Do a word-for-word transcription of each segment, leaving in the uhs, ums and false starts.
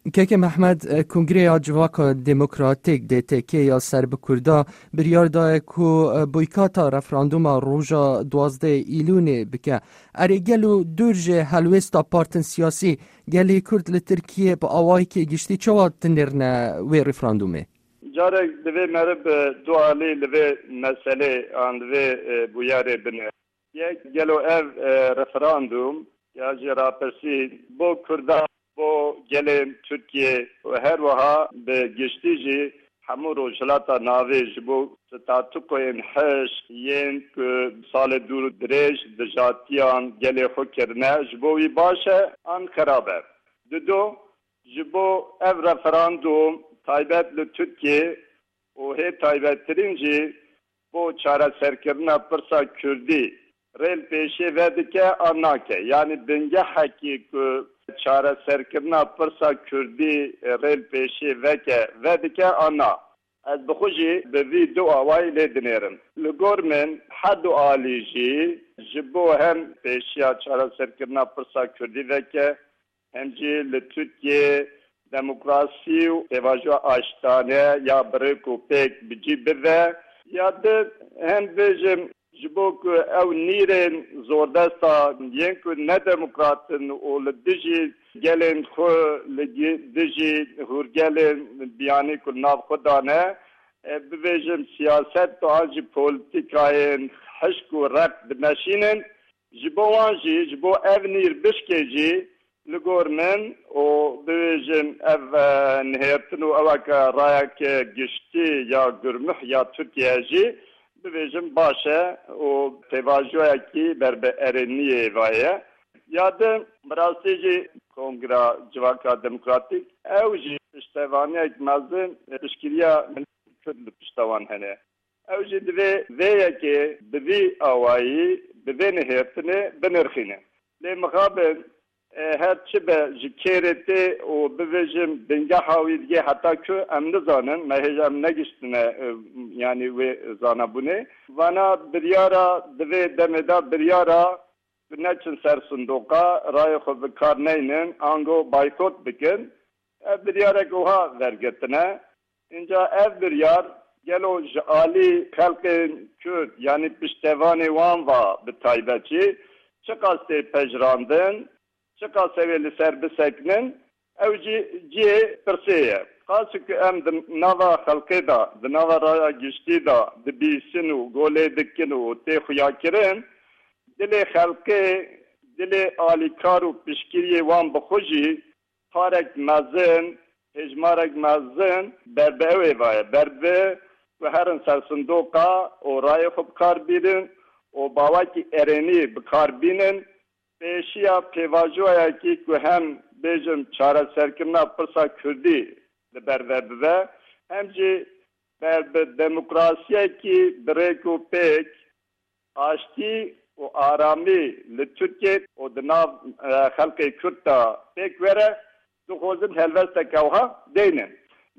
Keke Mehmed, e, Kongreya Civaka Demokratîk, D T K, ya ser bi Kurda biryar daye ku, e, boykata referanduma roja duwazdeh Îlûnê bike. Erê, gelo dûr ji helwêsta partên siyasî, gelê Kurd li Tirkiyê bi awayekî giştî çawa dinêrine wê referandumê? Carek divê meriv bi du alî li vê meselê an li vê, e, bûyerê bine. Yek, gelo ev, e, referandum ya jê rapirsî bo Kurdan, bo gelên Tirkiye û her wiha bi giştî jî hemû Rojhilata Navê ji bo statûkoyên hişk yên ku salê dûr û dirêj dijatiyan gelê xwe kirine, ji bo wî baş e an xerab e? Dido, ji bo ev referandum taybet li Tirkiye û hê taybettirîn jî bo çareserkirina pirsa Kurdî rê li pêşê vedike an nake? Yanî bingehekî ku çareserkirina pirsa Kurdî rê li pêşê veke, vedike an na? Ez bi xwe jî bi vî du awayî lê dinêrim. Li gor min her du alî jî ji bo hem pêşiya çareserkirina pirsa Kurdî veke, hem jî li Tirkiyê demokrasî û pêvajoya aştane ya bi rêk û pêk bi cî bive, ya di hem bêjim ji bo ku ew nîrên zordesta yên ku ne demokrat in û li dijî gelên xwe, li gi-, dijî hûrgelên biyanî ku li nav xwe dane, e, bibêjim siyaset an jî polîtîkayên hişk û req dimeşînin, ji bo wan jî, ji bo ev nîr bişkê jî, li gor min û bibêjin ev, e, nihêrtin û eweke rayeke giştî ya gurmih ya Tirkiye jî, bibêjin baş e û pêvajoyekî ber bi erêniyê ve ye. Ya din, bi rastî jî Kongra Civaka Demokratîk, ew jî piştevaniyek mezin, e, piştgiriya milletên Kurd li pişta wan hene. Ew jî divê vê yekê bi vî awayî, bi vê nihêrtinê binirxîne. Lê mixabin, e, her çi be ji kêrê tê û bibêjim bingeha wî digê heta ku em nizanin, me hêj em negiştine, e, yanî wê zanabûnê. Vana biryara, divê demê de biryara ku neçin ser sindoqa, rayê xwe bi kar neynin, ango baykot bikin. Ev biryarek wiha vergirtine. Înca ev biryar gelo ji alî xelkên Kurd, yanî piştevanê wan va bi taybet jî, çiqas tê pejirandin, çiqas ew ê li ser bisekinin, ew jî cihê pirsê ye. Qasî ku em di nava xelkê de, di nava raya giştî de dibîsin û golê dikin û tê xuyakirin, dilê xelkê, dilê alîkar û piştgiriyê wan bi xwe jî parek mezin, hêjmarek mezin ber bi ew ê ve ye. Ber bi ku herin ser sindoqa û rayê xwe bi kar bînin û bi awakî erênî bi kar bînin, pêşiya pêvajoyekî ku hem bêjim çareserkirina pirsa Kurdî li ber ve bibe, hem jî ber bi demokrasiyekî bi rêk û pêk, aştî û aramî li Tirkiye û di nav, e, xelkê Kurd de pêk were, dixwazin helwesteke wiha deynin.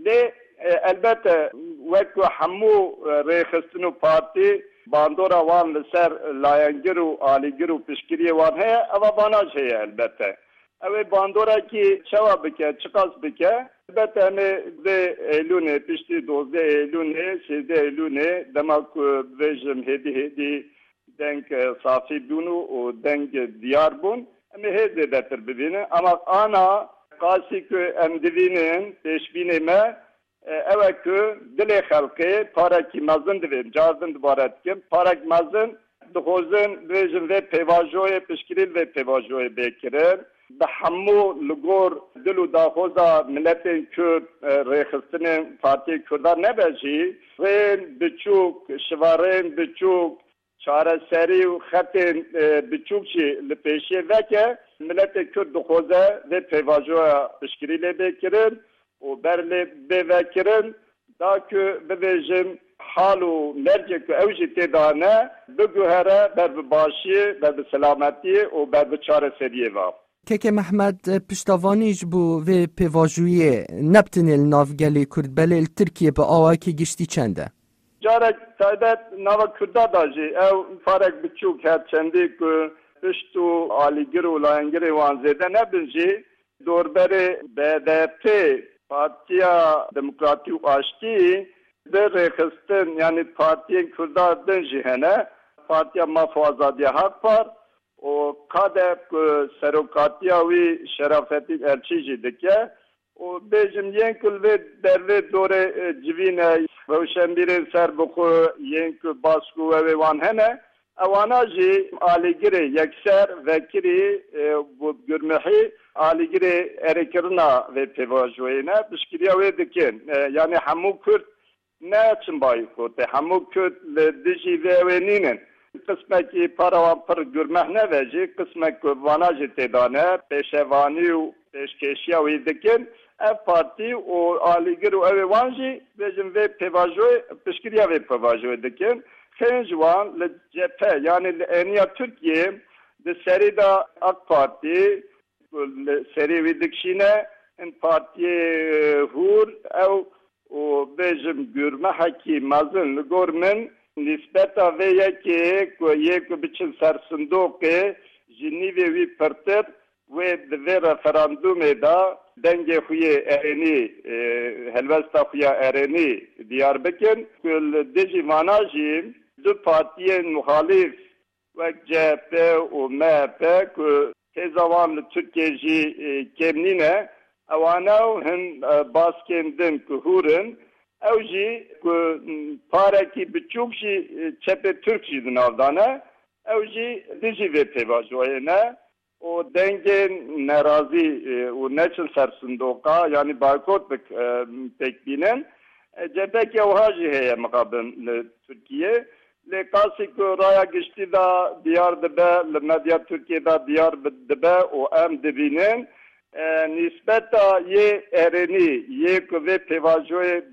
Lê, e, elbette, wek ku hemû, e, rêxistin û partî bandora wan li ser layengir û alîgir û piştgiriyê wan heye, eva vana jî heye elbette. Ew ê bandorekî çawa bike, çiqas bike? Elbette em ê vê Eylûnê, piştî dozdeh Eylûnê, sêzdeh Eylûnê, dema ku bibêjim hêdî hêdî deng, e, safî bûn û, û deng diyar bûn, em ê hê zêdetir bibînin. Ama ana qasî ku em dibînin, pêşbînê me, e, ew e ku dilê xelkê parekî mezin divê, car din dubare dikim, parek mezin dixwazin, bêjin vê pêvajoyê, piştgirî li vê pêvajoyê bê kirin. Bi hemû li gor dil û daxwaza miletên Kurd, e, rêxistinên Partiyê Kurdan nebe jî, rêyên biçûk, şivareyên biçûk, çareserî û xetên, e, biçûk jî li pêşiyê veke, miletê Kurd dixwaze vê pêvajoya piştgirî lê bê kirin û ber lê bê vekirin, da ku bibêjin hal û mercê ku ew jî tê de ne, biguhere ber bi başiyê, ber bi selametiyê û ber bi çareseriyê ve. Keke Mehmed, piştevanî ji bo vê pêvajoyê ne bi tenê li nav gelê Kurd, belê li Tirkiye bi awayekî giştî çend e? Carek taybet nava Kurda da jî ew farek biçûk her çendî ku pişt û alîgir û layengirê wan zêde nebin jî, Dorberê B D P, Partiya Demokratî û Aştî, bi rêxistin, yanî partiyên Kurda din jî hene. Partiya Maf û Azadiya Hak Par û KADEP ku serokatiya wî Şerafettin Elçî jî dike. Û bêjim yên ku li vê dervê dorê, e, civîne, rewşenbîrên serbixwe, yên ku bask û wewê wan hene, ewana jî alîgirê yekser vekirî, e, bi gurmihî alîgirê erêkirina vê pêvajoyê ne, piştgiriya wê dikin. E, yanî hemû Kurd ne çin boykotê, hemû Kurd li dijî vê wê nînin. Qismekî para wan pir gurmeh nebe jî, qismek ku vana jî tê de ne, pêşevanî û pêşkêşiya wî dikin. Ev partî û alîgir û ew ê wan jî, bêjin, vê pêvajoyê, piştgiriya vê pêvajoyê dikin. Xênc wan li cephe, yanî li êniya Tirkiyê, di serî de AK Partî, ku li serê wî dikişîne, hin partiyê, e, hûr, ew û bêjim gurmehekî mezin li gor min nîsbeta vê yekê ku yê ku biçin ser sindoqê ji nîvê wî pirtir, wê di vê referandumê de dengê xwe yê erênî, e, helwesta xwe ya erênî diyar bikin, ku li dijî vana jî du partiyên muxalîf wek C H P û M H P ku hêza wan li Tirkiyê jî, e, kêm nîne, ewana û hin, e, baskên din ku hûr in, ew jî ku, m, parekî biçûk jî, e, çepê Tirk jî di nav de ne, ew jî dijî vê pêvajoyê ne û dengên nerazî, e, û neçin ser sindoqa, yanî boykot bik-, e, pêk bînin. E, cepekê wiha jî heye mixabin li Tirkiyê. Lê qasî ku raya giştî de diyar dibe, li medya Tirkiyê de diyar bi-, dibe û em dibînin, e, nîsbeta yê erênî, yê ku vê pêvajoyê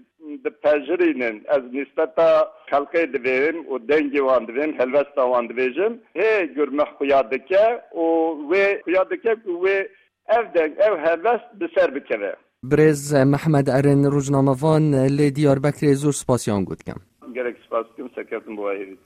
dipejirînin, ez nîsbeta xelkê divêrim û dengê wan divêm, helwesta wan divêjim, hê gurmeh xuya dike û wê xuya dike ku wê ev deng, ev helwest bi ser bikeve. Birêz Mehmed Erin, rojnamevan li Diyarbekirê, zor spasiyan got dikim. Gelek spas dikim, serkeftin bo we hêvî.